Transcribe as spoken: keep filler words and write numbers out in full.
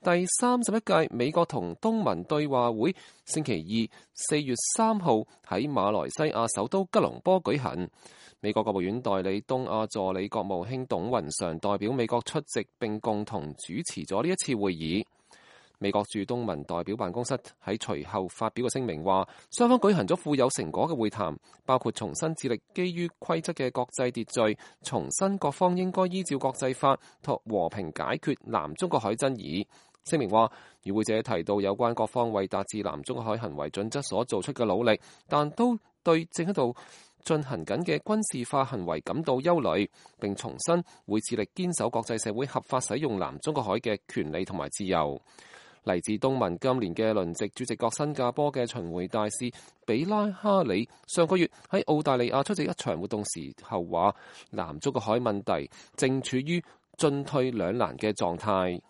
第三十一屆美國同東盟對話會星期二四月三號喺馬來西亞首都吉隆坡舉行。美國國務院代理東亞助理國務卿董雲常代表美國出席並共同主持咗呢一次會議。美國駐東盟代表辦公室喺隨後發表嘅聲明話，雙方舉行咗富有成果嘅會談，包括重新致力基於規則嘅國際秩序，重申各方應該依照國際法同和平解決南中國海爭議。聲明話，與會者提到有關各方為達至南中國海行為準則所做出嘅努力，但都對正喺度進行緊嘅軍事化行為感到憂慮，並重申會致力堅守國際社會合法使用南中國海嘅權利同埋自由。嚟自東盟今年嘅輪值主席國新加坡嘅巡迴大使比拉哈里上個月喺澳大利亞出席一場活動時候話，南中國海問題正處於進退兩難嘅狀態。